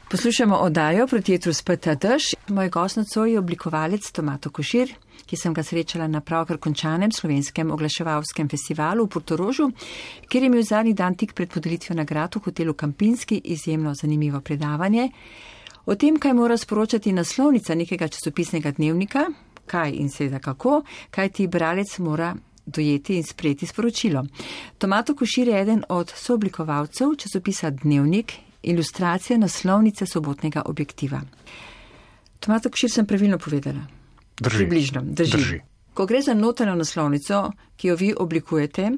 Poslušamo oddajo Proti jetru speta dež. Moj gost nocoj je oblikovalec Tomato Košir, ki sem ga srečala na pravkar končanem slovenskem oglaševalskem festivalu v Portorožu, kjer je imel zadnji dan tik pred podelitvijo nagrad v hotelu Kampinski izjemno zanimivo predavanje o tem, kaj mora sporočati naslovnica nekega časopisnega dnevnika, kaj in seveda kako, kaj ti bralec mora dojeti in sprejeti sporočilo. Tomato Košir je eden od sooblikovalcev časopisa Dnevnik, ilustracije naslovnice sobotnega objektiva. Tomato Košir sem pravilno povedala? Drži. Približno. Drži. Ko gre za notranjo naslovnico, ki jo vi oblikujete,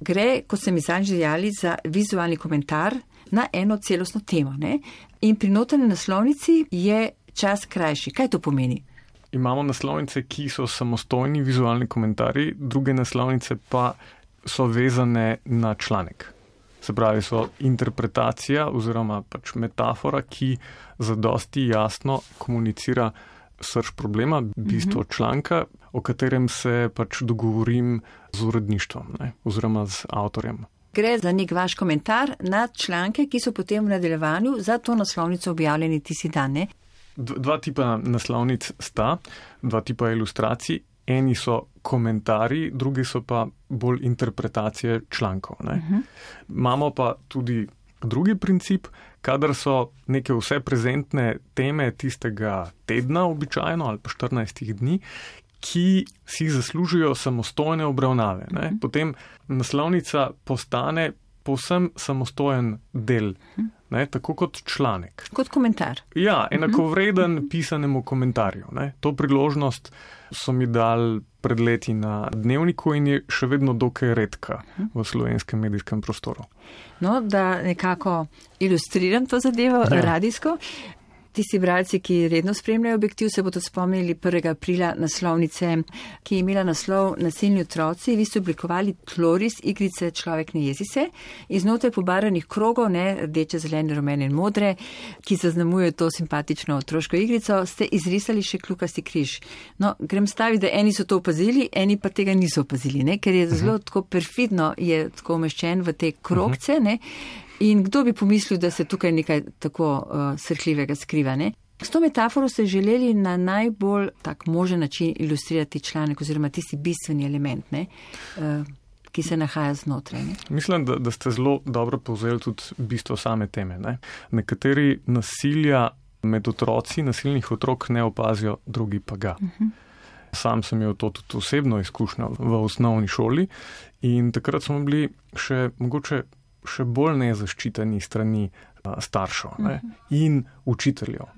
gre, kot ste mi zadnjič dejali, za vizualni komentar na eno celostno temo, ne? In pri notranji naslovnici je čas krajši. Kaj to pomeni? Imamo naslovnice, ki so samostojni vizualni komentarji, druge naslovnice pa so vezane na članek. Se pravi, so interpretacija oziroma pač metafora, ki zadosti jasno komunicira srž problema, bistvo članka, o katerem se pač dogovorim z uredništvom, ne, oziroma z avtorjem. Gre za nek vaš komentar na članke, ki so potem v nadaljevanju za to naslovnico objavljeni tisti dan, ne? Dva tipa naslovnic sta, dva tipa ilustracij. Eni so komentarji, drugi so pa bolj interpretacije člankov. Imamo pa tudi drugi princip, kadar so neke vse prezentne teme tistega tedna običajno ali pa 14 dni, ki si zaslužijo samostojne obravnave. Potem naslovnica postane povsem samostojen del, tako kot članek. Kot komentar. Ja, enakovreden pisanemu komentarju. To priložnost so mi dali pred leti na Dnevniku in je še vedno dokaj redka v slovenskem medijskem prostoru. No, da nekako ilustriram to zadevo radijsko. Tisti bralci, ki redno spremljajo objektiv, se bodo spomnili 1. aprila naslovnice, ki je imela naslov Nasilni otroci. Vi ste oblikovali tloris igrice Človek ne jezi se, iznotraj pobaranih krogov, rdeče, zelene, rumene in modre, ki zaznamujejo to simpatično otroško igrico, ste izrisali še kljukasti križ. No, grem staviti, da eni so to opazili, eni pa tega niso opazili, ker je zelo tako perfidno, je tako umeščen v te krogce, In kdo bi pomislil, da se tukaj nekaj tako srhljivega skriva, ne? S to metaforo ste želeli na najbolj tak možen način ilustrirati članek oziroma tisti bistveni element, ki se nahaja znotraj. Ne? Mislim, da ste zelo dobro povzeli tudi bistvo same teme. Nekateri nasilja med otroci, nasilnih otrok ne opazijo, drugi pa ga. Sam sem imel to tudi osebno izkušnjo v osnovni šoli in takrat smo bili še bolj nezaščiteni strani staršev in učiteljev.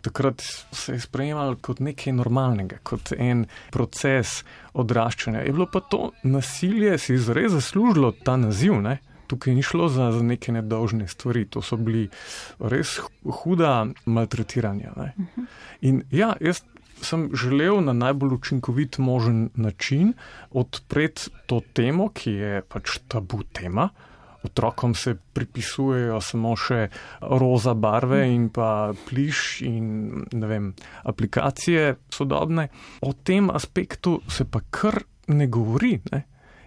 Takrat se je sprejemalo kot nekaj normalnega, kot en proces odraščanja. Je bilo pa to nasilje, si zares zaslužilo ta naziv, Tukaj ni šlo za neke nedolžne stvari, to so bili res huda maltretiranja. In ja, jaz sem želel na najbolj učinkovit možen način odpreti to temo, ki je pač tabu tema. Otrokom se pripisujejo samo še roza barve in pa pliš in aplikacije sodobne. O tem aspektu se pa kar ne govori,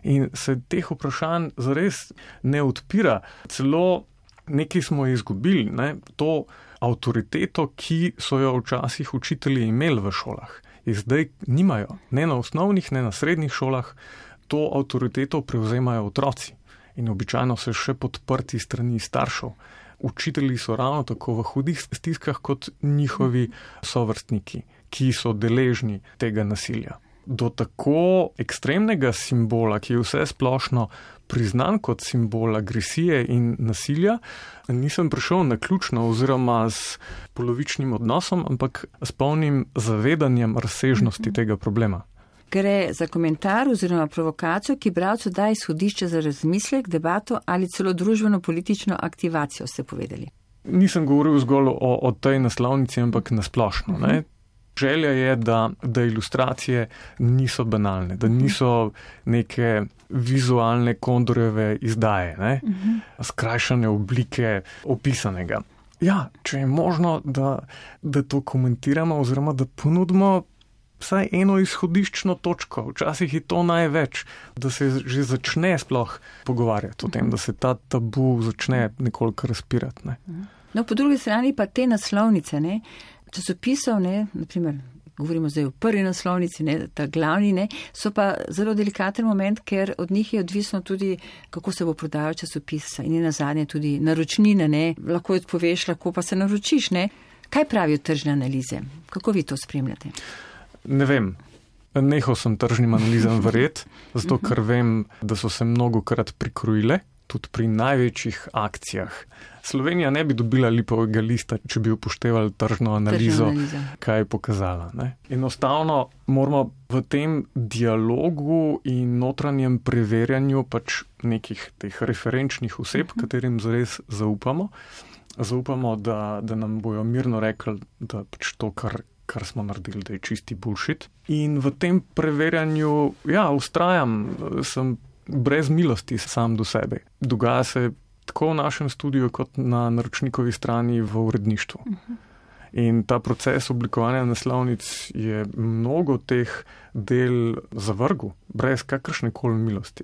in se teh vprašanj zares ne odpira. Celo nekaj smo izgubili, to avtoriteto, ki so jo včasih učitelji imeli v šolah. In zdaj nimajo, ne na osnovnih, ne na srednjih šolah, to avtoriteto prevzemajo otroci. In običajno se še podprti strani staršev. Učitelji so ravno tako v hudih stiskah kot njihovi sovrstniki, ki so deležni tega nasilja. Do tako ekstremnega simbola, ki je vse splošno priznan kot simbol agresije in nasilja, nisem prišel naključno oziroma s polovičnim odnosom, ampak s polnim zavedanjem razsežnosti tega problema. Gre za komentar oziroma provokacijo, ki bralcu daje izhodišče za razmislek, debato ali celo družbeno-politično aktivacijo, ste povedali. Nisem govoril zgolj o tej naslovnici, ampak nasplošno. Želja je, da ilustracije niso banalne, da niso neke vizualne Kondorjeve izdaje, skrajšane oblike opisanega. Ja, če je možno, da to komentiramo oziroma da ponudimo vsaj eno izhodiščno točko, včasih je to največ, da se že začne sploh pogovarjati o tem, da se ta tabu začne nekoliko razpirati. No, po drugi strani pa te naslovnice, ne, časopisov, ne, naprimer, govorimo zdaj o prvi naslovnici, ne, ta glavni, ne, so pa zelo delikaten moment, ker od njih je odvisno tudi, kako se bo prodajal časopis in nazadnje tudi naročnine, ne, lahko jo odpoveš, lahko pa se naročiš, ne. Kaj pravijo tržne analize? Kako vi to spremljate? Ne vem. Nehal sem tržnim analizam verjeti, zato ker vem, da so se mnogokrat prikrojile, tudi pri največjih akcijah. Slovenija ne bi dobila lipovega lista, če bi upoštevali tržno analizo, kaj je pokazala. Ne? Enostavno moramo v tem dialogu in notranjem preverjanju pač nekih teh referenčnih oseb, katerim zares zaupamo, da nam bojo mirno rekli, da pač to, kar smo naredili, da je čisti bullshit. In v tem preverjanju, ustrajam, sem brez milosti sam do sebe. Dogaja se tako v našem studiu, kot na naročnikovi strani v uredništvu. In ta proces oblikovanja naslovnic je mnogo teh del zavrgel, brez kakršnekoli milosti.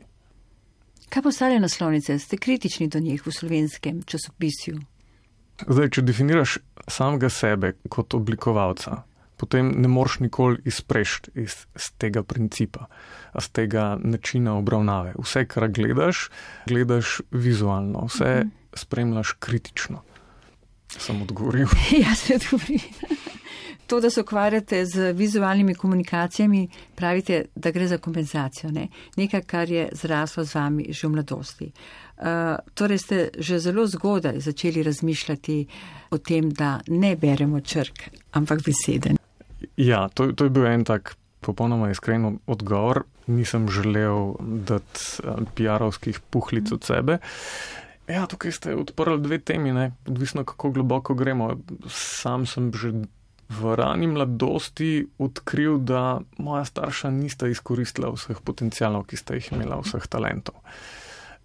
Kaj postavljajo naslovnice? Ste kritični do njih v slovenskem časopisju? Zdaj, če definiraš samega sebe kot oblikovalca, potem ne moreš nikoli izprešti iz tega principa, iz tega načina obravnave. Vse, kar gledaš vizualno, vse spremljaš kritično. Sem odgovoril. Ja, se odgovoril. To, da se ukvarjate z vizualnimi komunikacijami, pravite, da gre za kompenzacijo, ne? Nekaj, kar je zraslo z vami že v mladosti. Torej ste že zelo zgodaj začeli razmišljati o tem, da ne beremo črk, ampak besede. Ja, to je bil en tak popolnoma iskren odgovor. Nisem želel dati PR-ovskih puhlic od sebe. Ja, tukaj ste odprli dve temi, ne? Odvisno kako globoko gremo. Sam sem že v rani mladosti odkril, da moja starša nista izkoristila vseh potencialov, ki sta jih imela, vseh talentov.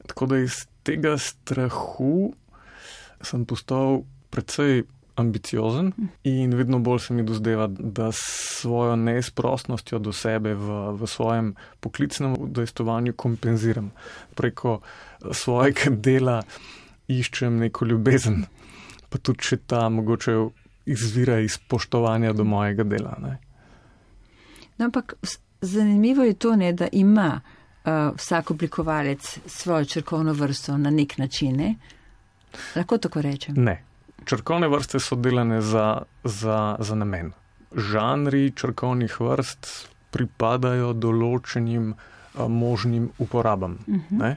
Tako da iz tega strahu sem postal precej ambiciozen in vedno bolj se mi dozdeva, da s svojo neizprostnostjo do sebe v svojem poklicnem udejstvovanju kompenziram. Preko svojega dela iščem neko ljubezen, pa tudi če ta mogoče izvira iz spoštovanja do mojega dela. Ne? No, ampak zanimivo je to, ne, da ima vsak oblikovalec svojo črkovno vrsto na nek način. Ne? Lahko tako rečem? Ne. Črkovne vrste so delane za namen. Žanri črkovnih vrst pripadajo določenim možnim uporabam. Ne?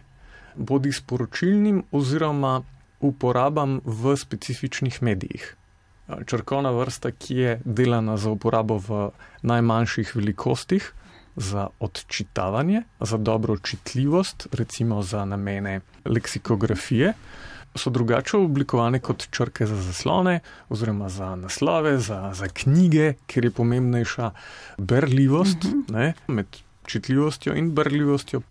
Bodi sporočilnim oziroma uporabam v specifičnih medijih. Črkovna vrsta, ki je delana za uporabo v najmanjših velikostih, za odčitavanje, za dobro čitljivost, recimo za namene leksikografije, so drugače oblikovane kot črke za zaslone oziroma za naslove, za knjige, kjer je pomembnejša berljivost. Ne? Med čitljivostjo in berljivostjo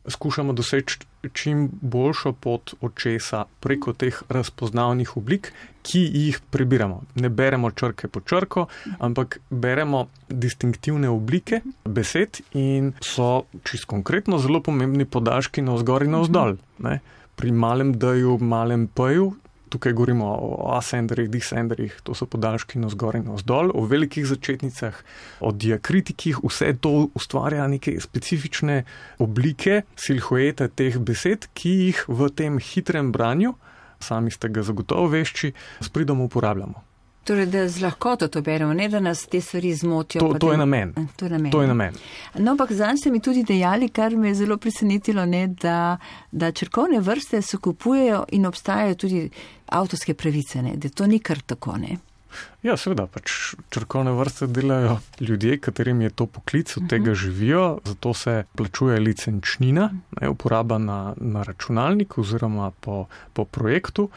skušamo doseči čim boljšo pot očesa preko teh razpoznavnih oblik, ki jih prebiramo. Ne beremo črke po črko, ampak beremo distinktivne oblike besed in so čisto konkretno zelo pomembni podaljški navzgor in navzdol. Ne? Pri malem D-ju, malem P-ju, tukaj govorimo o asenderih, disenderih, to so podaljški navzgor in navzdol, o velikih začetnicah, o diakritikih, vse to ustvarja neke specifične oblike, silhuete teh besed, ki jih v tem hitrem branju, sami ste ga zagotovo vešči, s pridom uporabljamo. Torej, da z lahkoto to beremo, ne da nas te stvari zmotijo. To je namen. To je namen. No, ampak zanj ste mi tudi dejali, kar me je zelo presenetilo, ne, da črkovne vrste se kupujejo in obstajajo tudi avtorske pravice, ne, da to ni kar tako, ne. Ja, seveda, pač črkovne vrste delajo ljudje, katerim je to poklic, od tega živijo, zato se plačuje licenčnina, ne, uporaba na računalnik oziroma po projektu.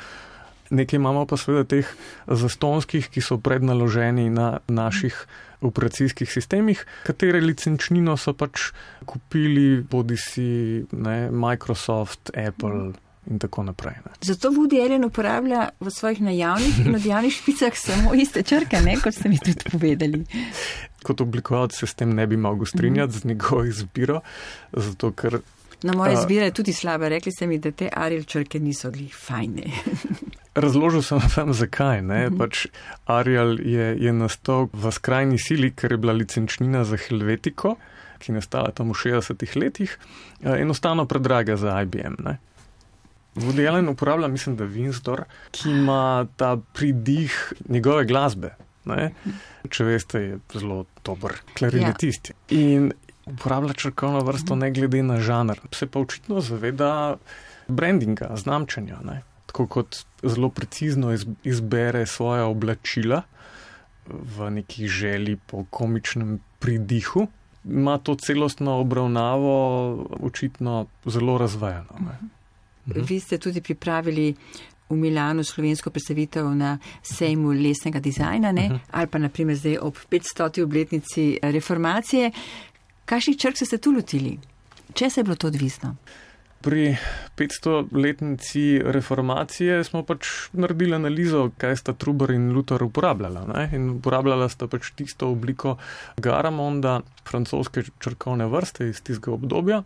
Nekaj imamo pa seveda teh zastonskih, ki so prednaloženi na naših operacijskih sistemih, katere licenčnino so pač kupili bodisi Microsoft, Apple in tako naprej. Ne. Zato Woody Allen uporablja v svojih najavnih in odjavnih špicah samo iste črke, ne, kot ste mi tudi povedali. Kot oblikovalec se s tem ne bi mogel strinjati z njegovo izbiro, zato ker... No, moja izbira je tudi slaba. Rekli ste mi, da te Arial črke niso glih fajne. Razložil sem vam zakaj. Pač Arial je nastal v skrajni sili, ker je bila licenčnina za Helvetico, ki je nastala tam v 60-ih letih, enostavno predraga za IBM. Ne. Woody Allen uporablja, mislim, da Windsor, ki ima ta pridih njegove glasbe. Ne. Če veste, je zelo dober klarinetist. In uporablja črkovno vrsto ne glede na žanr. Se pa očitno zaveda brandinga, znamčenja. Ne. Tako kot zelo precizno izbere svoja oblačila v neki želji po komičnem pridihu, ima to celostno obravnavo očitno zelo razvajano. Vi ste tudi pripravili v Milanu slovensko predstavitev na sejmu lesnega dizajna, ali pa naprimer zdaj ob 500. obletnici reformacije. Kakšnih črk ste se tu lotili? Če se je bilo to odvisno? Pri 500-letnici reformacije smo pač naredili analizo, kaj sta Trubar in Luther uporabljala. Ne? In uporabljala sta pač tisto obliko Garamonda, francoske črkovne vrste iz tistega obdobja.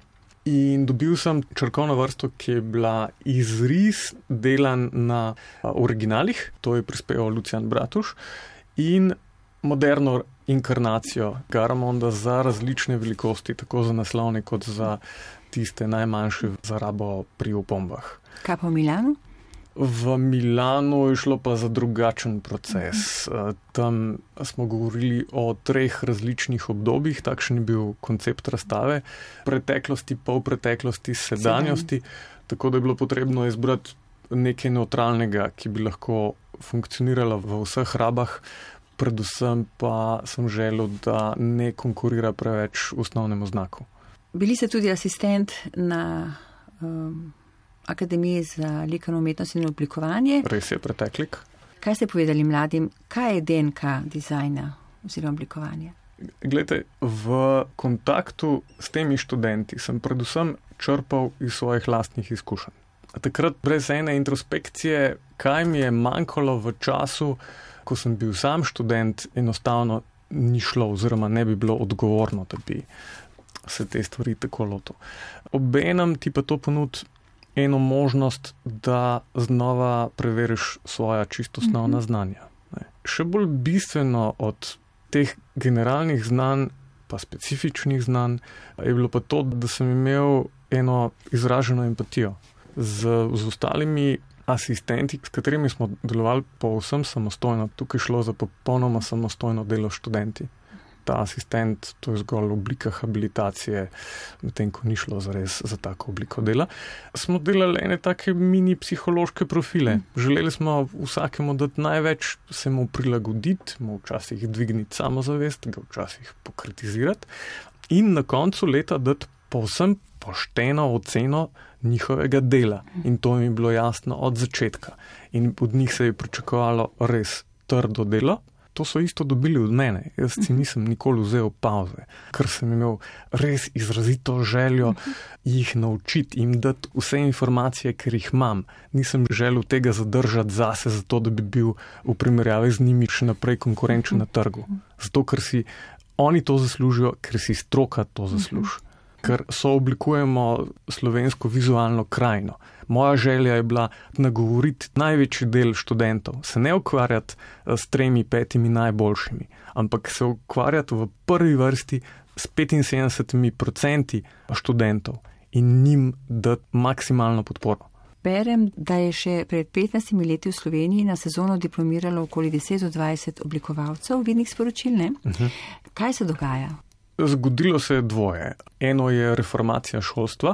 In dobil sem črkovno vrsto, ki je bila izris delan na originalih, to je prispeval Lucian Bratuš, in moderno inkarnacijo Garamonda za različne velikosti, tako za naslovne kot za tiste najmanjše za rabo pri opombah. Kaj pa v Milanu? V Milanu je šlo pa za drugačen proces. Tam smo govorili o 3 različnih obdobjih, takšen je bil koncept razstave, preteklosti, polpreteklosti, sedanjosti, tako da je bilo potrebno izbrati nekaj neutralnega, ki bi lahko funkcioniralo v vseh rabah, predvsem pa sem želel, da ne konkurira preveč osnovnemu znaku. Bili ste tudi asistent na Akademiji za likovno umetnost in oblikovanje. Res je, preteklik. Kaj ste povedali mladim? Kaj je DNK dizajna oziroma oblikovanja? Glejte, v kontaktu s temi študenti sem predvsem črpal iz svojih lastnih izkušenj. Takrat brez ene introspekcije, kaj mi je manjkalo v času, ko sem bil sam študent, enostavno ni šlo oziroma ne bi bilo odgovorno, da bi se te stvari tako lotil. Obenem ti pa to ponudi eno možnost, da znova preveriš svoja čisto osnovna znanja. Še bolj bistveno od teh generalnih znanj, pa specifičnih znanj, je bilo pa to, da sem imel eno izraženo empatijo z ostalimi asistenti, s katerimi smo delovali povsem samostojno. Tukaj šlo za popolnoma samostojno delo študenti. Ta asistent, to je zgolj oblika habilitacije, medtem ko ni šlo zares za tako obliko dela. Smo delali ene take mini psihološke profile. Želeli smo vsakemu dati največ, se mu prilagoditi, mu včasih dvigniti samozavest, ga včasih pokritizirati in na koncu leta dati povsem pošteno oceno njihovega dela. In to mi je bilo jasno od začetka. In od njih se je pričakovalo res trdo delo. To so isto dobili od mene. Jaz si nisem nikoli vzel pauze, ker sem imel res izrazito željo jih naučiti, jim dati vse informacije, ker jih imam. Nisem želel tega zadržati zase, zato da bi bil v primerjavi z njimi še naprej konkurenčen na trgu. Zato, ker si oni to zaslužijo, ker si stroka to zasluži. Ker sooblikujemo slovensko vizualno krajino. Moja želja je bila nagovoriti največji del študentov, se ne ukvarjati s 3-5 najboljšimi, ampak se ukvarjati v prvi vrsti s 75% študentov in njim dati maksimalno podporo. Berem, da je še pred 15 leti v Sloveniji na sezono diplomiralo okoli 10-20 oblikovalcev vidnih sporočil, ne? Kaj se dogaja? Zgodilo se je dvoje. Eno je reformacija šolstva,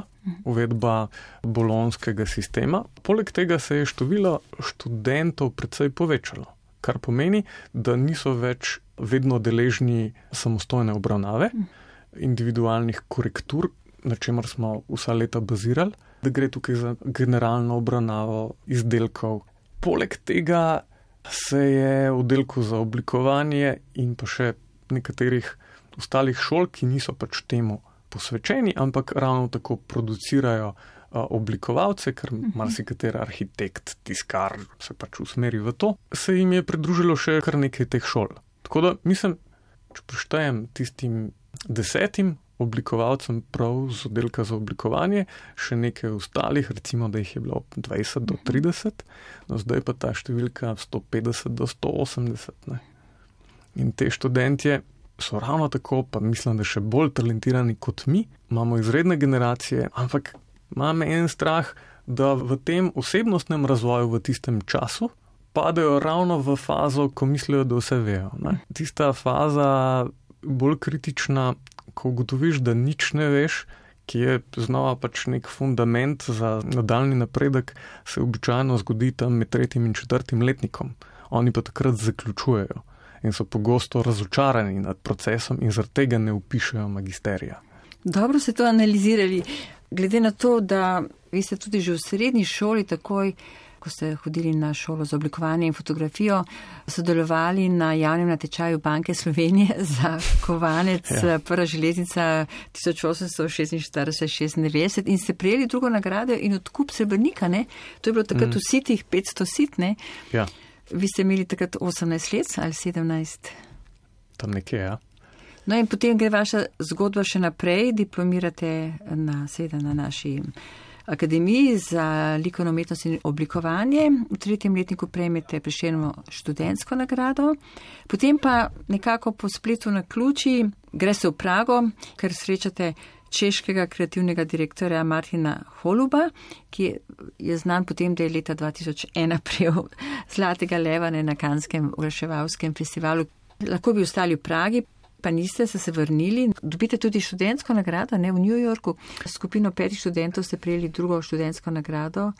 uvedba bolonskega sistema. Poleg tega se je število študentov precej povečalo, kar pomeni, da niso več vedno deležni samostojne obravnave, individualnih korektur, na čemer smo vsa leta bazirali, da gre tukaj za generalno obravnavo izdelkov. Poleg tega se je v oddelku za oblikovanje in pa še nekaterih ostalih šol, ki niso pač temu posvečeni, ampak ravno tako producirajo oblikovalce, ker marsikateri arhitekt, tiskar se pač usmeri v to, se jim je pridružilo še kar nekaj teh šol. Tako da mislim, če preštejem tistim 10, oblikovalcem prav z oddelka za oblikovanje, še nekaj ostalih, recimo, da jih je bilo 20 do 30, no zdaj pa ta številka 150 do 180. Ne. In te študentje so ravno tako, pa mislim, da še bolj talentirani kot mi, imamo izredne generacije, ampak imam en strah, da v tem osebnostnem razvoju v tistem času padejo ravno v fazo, ko mislijo, da vse vejo. Ne. Tista faza bolj kritična, ko ugotoviš, da nič ne veš, ki je znova pač nek fundament za nadaljni napredek, se običajno zgodi tam med 3. in 4. letnikom. Oni pa takrat zaključujejo in so pogosto razočarani nad procesom in zaradi tega ne vpišejo magisterija. Dobro ste to analizirali. Glede na to, da vi ste tudi že v srednji šoli takoj, ko ste hodili na šolo za oblikovanje in fotografijo, sodelovali na javnem natečaju Banke Slovenije za kovanec, prva železnica 1846-96 in ste prejeli drugo nagrado in odkup srebrnika, ne? To je bilo takrat vsi tih 500 sit, ne? Ja. Vi ste imeli takrat 18 let ali 17? Tam nekje, ja. No in potem gre vaša zgodba še naprej, diplomirate na naši Akademiji za likovno umetnost in oblikovanje. V 3. letniku prejmete Prešernovo študentsko nagrado. Potem pa nekako po spletu na ključi greste v Prago, ker srečate češkega kreativnega direktorja Martina Holuba, ki je znan potem, da je leta 2001 prejel Zlatega leva na Kanskem oglaševalskem festivalu. Lahko bi ostali v Pragi, pa niste, ste se vrnili. Dobite tudi študentsko nagrado, ne, v New Yorku. Skupino 5 študentov ste prejeli drugo študentsko nagrado.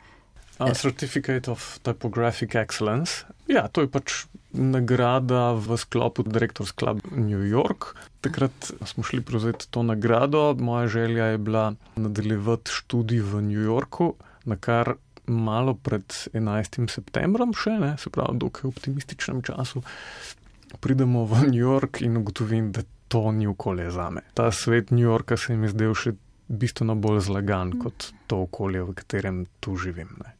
Certificate of Typographic Excellence. Ja, to je pač nagrada v sklopu Directors Club New York. Takrat smo šli prevzeti to nagrado. Moja želja je bila nadaljevati študij v New Yorku, na kar malo pred 11. septembrom še, ne, se pravi, dokaj optimističnem času, pridemo v New York in ugotovim, da to ni okolje zame. Ta svet New Yorka se mi zdel še bistveno bolj zlagan kot to okolje, v katerem tu živim. Ne.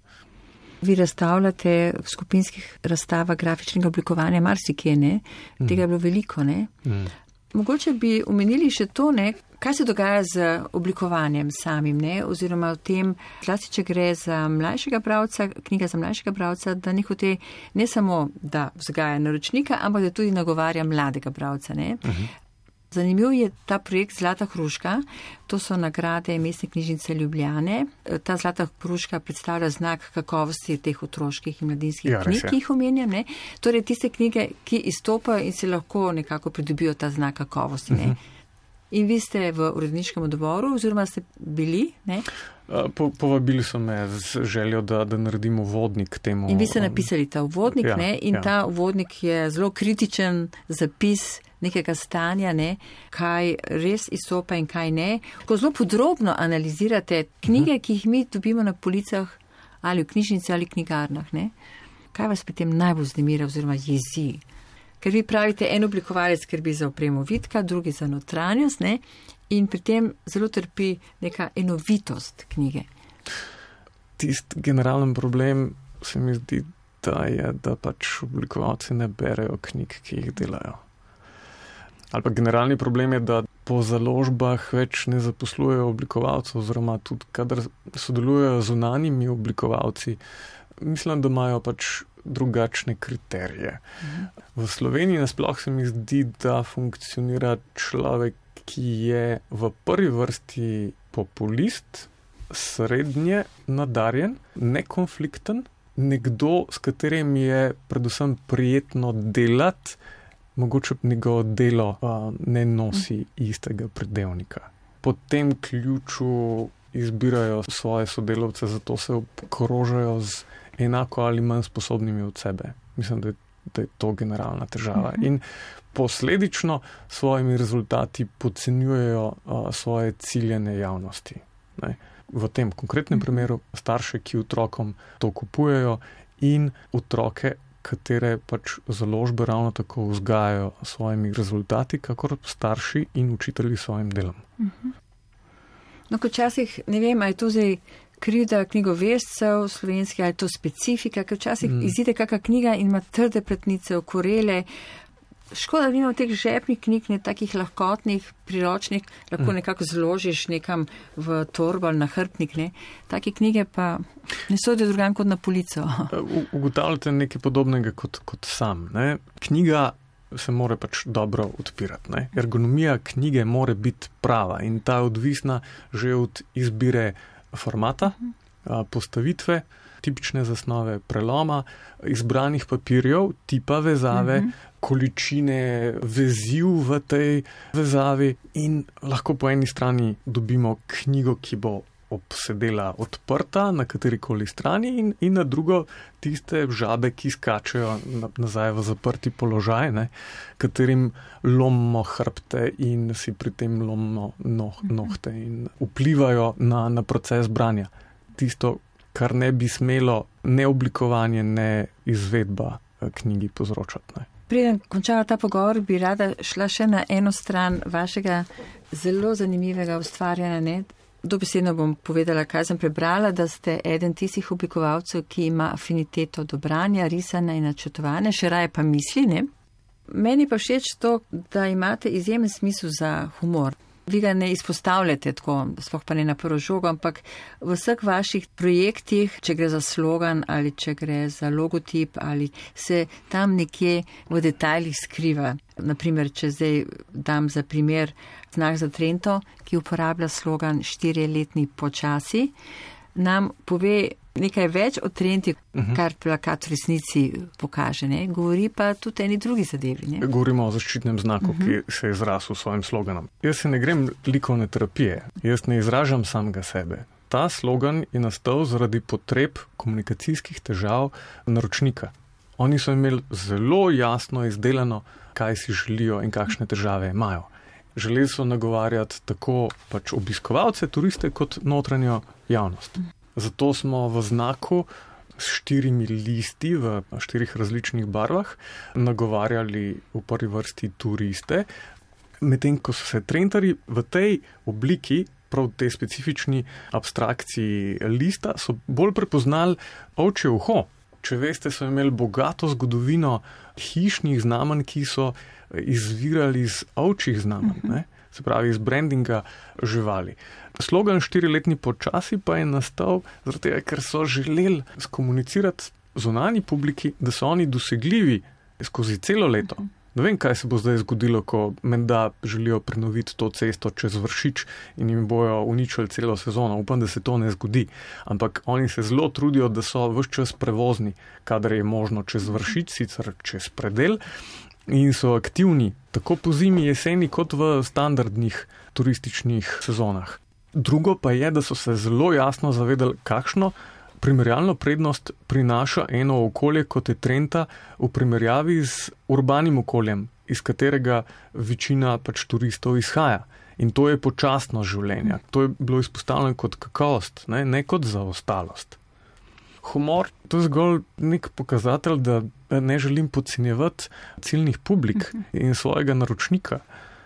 Vi razstavljate v skupinskih razstavah grafičnega oblikovanja marsikje, ne? Tega je bilo veliko, ne? Mogoče bi omenili še to, ne? Kaj se dogaja z oblikovanjem samim, ne? Oziroma v tem, zlasti če gre za mlajšega bralca, knjiga za mlajšega bralca, da nehote ne samo, da vzgaja naročnika, ampak da tudi nagovarja mladega bralca, ne? Zanimiv je ta projekt Zlata hruška, to so nagrade Mestne knjižnice Ljubljane. Ta Zlata hruška predstavlja znak kakovosti teh otroških in mladinskih knjig, ki jih omenjam, ne? Torej tiste knjige, ki izstopajo in se lahko nekako pridobijo ta znak kakovosti, ne? In vi ste v uredniškem odboru, oziroma ste bili, ne? Povabili so me z željo, da naredim uvodnik temu. In vi ste napisali ta uvodnik, ne? In ta uvodnik je zelo kritičen zapis nekega stanja, ne? Kaj res izstopa in kaj ne. Ko zelo podrobno analizirate knjige, ki jih mi dobimo na policah ali v knjižnici ali knjigarnah, ne? Kaj vas pri tem najbolj vznemira oziroma jezi? Ker vi pravite, en oblikovalec skrbi za opremo vidka, drugi za notranjost, ne? In pri tem zelo trpi neka enovitost knjige. Tisti generalen problem se mi zdi, da je, da pač oblikovalci ne berejo knjig, ki jih delajo. Ali pa generalni problem je, da po založbah več ne zaposlujejo oblikovalcev, oziroma tudi, kadar sodelujejo z zunanjimi oblikovalci, mislim, da imajo pač drugačne kriterije. V Sloveniji nasploh se mi zdi, da funkcionira človek, ki je v prvi vrsti populist, srednje nadarjen, nekonflikten, nekdo, s katerim je predvsem prijetno delati, mogoče njegovo delo ne nosi istega pridevnika. Po tem ključu izbirajo svoje sodelavce, zato se obkrožajo z enako ali manj sposobnimi od sebe. Mislim, da je to generalna težava. In posledično svojimi rezultati podcenjujejo svoje ciljene javnosti. Ne? V tem konkretnem primeru starše, ki otrokom to kupujejo, in otroke, katere pač založbe ravno tako vzgajajo svojimi rezultati, kakor starši in učitelji svojim delom. No, ko včasih, ne vem, ali je to zdaj krivda knjigoveščev slovenskih, ali je to specifika, ker včasih izide kakšna knjiga in ima trde platnice, okorele, Škoda, da nimamo teh žepnih knjig, ne takih lahkotnih, priročnih, lahko nekako zložiš nekam v torbo ali na hrbtnik, ne. Take knjige pa ne sodijo drugam kot na polico. Ugotavljate nekaj podobnega kot sam, ne. Knjiga se mora pač dobro odpirati, ne. Ergonomija knjige mora biti prava in ta je odvisna že od izbire formata, postavitve, tipične zasnove preloma, izbranih papirjev, tipa vezave, količine veziv v tej vezavi in lahko po eni strani dobimo knjigo, ki bo obsedela odprta na katerikoli strani in na drugo tiste žabe, ki skačejo nazaj v zaprti položaj, ne, katerim lomimo hrbte in si pri tem lomimo nohte in vplivajo na proces branja. Tisto, kar ne bi smelo ne oblikovanje, ne izvedba knjigi povzročati. Ne. Preden končala ta pogovor, bi rada šla še na eno stran vašega zelo zanimivega ustvarjanja. Ne? Dobesedno bom povedala, kaj sem prebrala, da ste eden tistih oblikovalcev, ki ima afiniteto do branja, risanja in načrtovanja, še raje pa misli. Ne? Meni pa všeč to, da imate izjemen smisel za humor. Vi ga ne izpostavljate tako, sploh pa ne na prvo žogo, ampak v vseh vaših projektih, če gre za slogan ali če gre za logotip ali se tam nekje v detajlih skriva. Naprimer, če zdaj dam za primer Znak za Trento, ki uporablja slogan 4-letni počasi, nam pove nekaj več o Trenti, kar plakat v resnici pokaže. Ne? Govori pa tudi eni drugi zadevi. Ne? Govorimo o zaščitnem znaku, ki se je izrasel s svojim sloganom. Jaz se ne grem likovne terapije, jaz ne izražam samega sebe. Ta slogan je nastal zaradi potreb komunikacijskih težav naročnika. Oni so imeli zelo jasno izdelano, kaj si želijo in kakšne težave imajo. Želeli so nagovarjati tako pač obiskovalce, turiste, kot notranjo javnost. Zato smo v znaku s 4 listi v 4 različnih barvah nagovarjali v prvi vrsti turiste, medtem ko so se Trentarji v tej obliki, prav tej specifični abstrakciji lista, so bolj prepoznali ovčje uho. Če veste, so imeli bogato zgodovino hišnih znamenj, ki so izvirali iz ovčjih znamenj, ne? Se pravi iz brandinga živali. Slogan 4-letni počasi pa je nastal zaradi tega, ker so želeli skomunicirati zunanji publiki, da so oni dosegljivi skozi celo leto. Ne vem, kaj se bo zdaj zgodilo, ko menda želijo prenoviti to cesto čez Vršič in jim bojo uničili celo sezono. Upam, da se to ne zgodi. Ampak oni se zelo trudijo, da so ves čas prevozni, kadar je možno čez Vršič, sicer čez predel. In so aktivni tako po zimi, jeseni, kot v standardnih turističnih sezonah. Drugo pa je, da so se zelo jasno zavedali, kakšno primerjalno prednost prinaša eno okolje, kot je Trenta, v primerjavi z urbanim okoljem, iz katerega večina pač turistov izhaja. In to je počasno življenje. To je bilo izpostavljeno kot kakovost, ne kot zaostalost. Humor, to je zgolj nek pokazatelj, da ne želim podcenjevati ciljnih publik in svojega naročnika.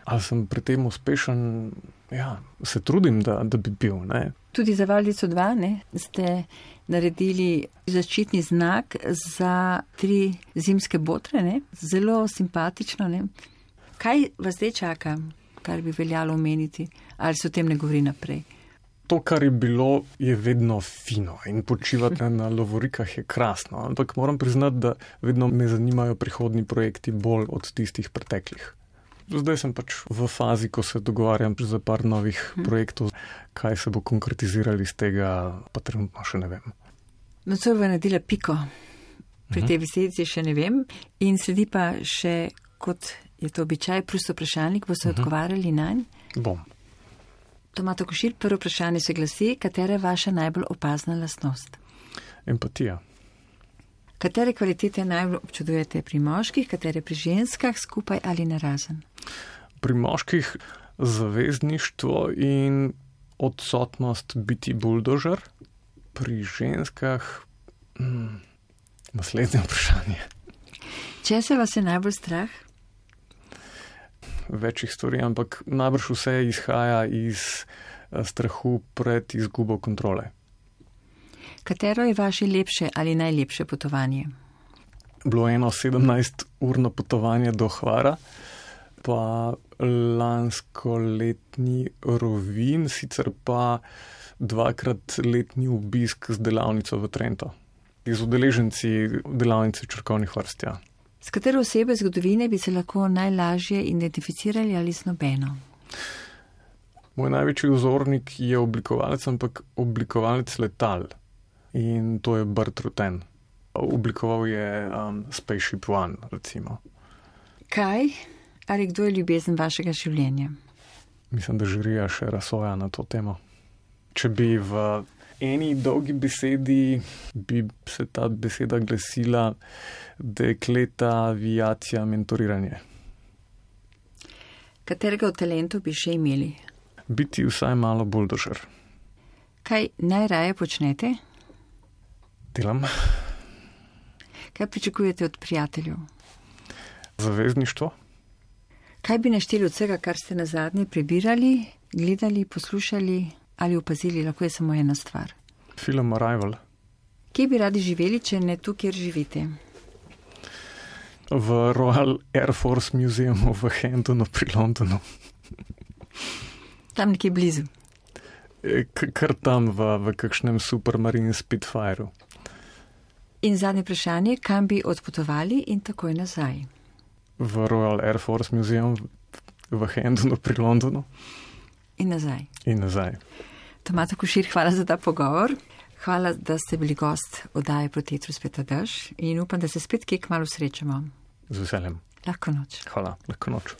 Ali sem pri tem uspešen? Ja, se trudim, da bi bil. Ne? Tudi za Valdico 2 ste naredili zaščitni znak za 3 zimske botre. Ne? Zelo simpatično. Ne? Kaj vas zdaj čaka, kar bi veljalo omeniti? Ali se o tem ne govori naprej? To, kar je bilo, je vedno fino in počivati na lovorikah je krasno. Ampak moram priznati, da vedno me zanimajo prihodni projekti bolj od tistih preteklih. Zdaj sem pač v fazi, ko se dogovarjam za par novih projektov, kaj se bo konkretizirali iz tega, pa trenutno še ne vem. Nocoj bo naredila piko. Pri tej besedici še ne vem. In sledi pa še, kot je to običaj, prosto vprašalnik, boste odgovarjali nanj? Bom. Tomato Košir, prvo vprašanje se glasi, katera je vaša najbolj opazna lastnost? Empatija. Katere kvalitete najbolj občudujete pri moških, katere pri ženskah, skupaj ali narazen? Pri moških zavezništvo in odsotnost biti buldožer, pri ženskah naslednje vprašanje. Če se vas je najbolj strah? Večjih stvari, ampak najbrž vse izhaja iz strahu pred izgubo kontrole. Katero je vaše lepše ali najlepše potovanje? bilo eno 17-urno potovanje do Hvara, pa lanskoletni Rovinj, sicer pa 2-krat letni obisk z delavnico v Trento. Z udeleženci delavnice črkovnih vrst, ja. S katero osebe zgodovine bi se lahko najlažje identificirali ali z nobeno? Moj največji vzornik je oblikovalec, ampak oblikovalec letal. In to je Burt Rutan. Oblikoval je Spaceship One, recimo. Kaj ali kdo je ljubezen vašega življenja? Mislim, da žirija še razsoja na to temo. Če bi v eni dolgi besedi, bi se ta beseda glasila dekleta, aviacija, mentoriranje. Katerega od talentov bi še imeli? Biti vsaj malo buldožer. Kaj najraje počnete? Delam. Kaj pričakujete od prijateljev? Zavezništvo. Kaj bi našteli od vsega, kar ste nazadnje prebirali, gledali, poslušali ali opazili? Lahko je samo ena stvar. Film Arrival. Kje bi radi živeli, če ne tu, kjer živite? V Royal Air Force Museumu v Hendonu pri Londonu. Tam nekje blizu. Kar tam v kakšnem Supermarine Spitfireu. In zadnje vprašanje, kam bi odpotovali in takoj nazaj? V Royal Air Force Museum v Hendonu pri Londonu. In nazaj. In nazaj. Tomato Košir, hvala za ta pogovor. Hvala, da ste bili gost oddaje Proti etru spet dež in upam, da se spet kje kmalu srečamo. Z veseljem. Lahko noč. Hvala, lahko noč.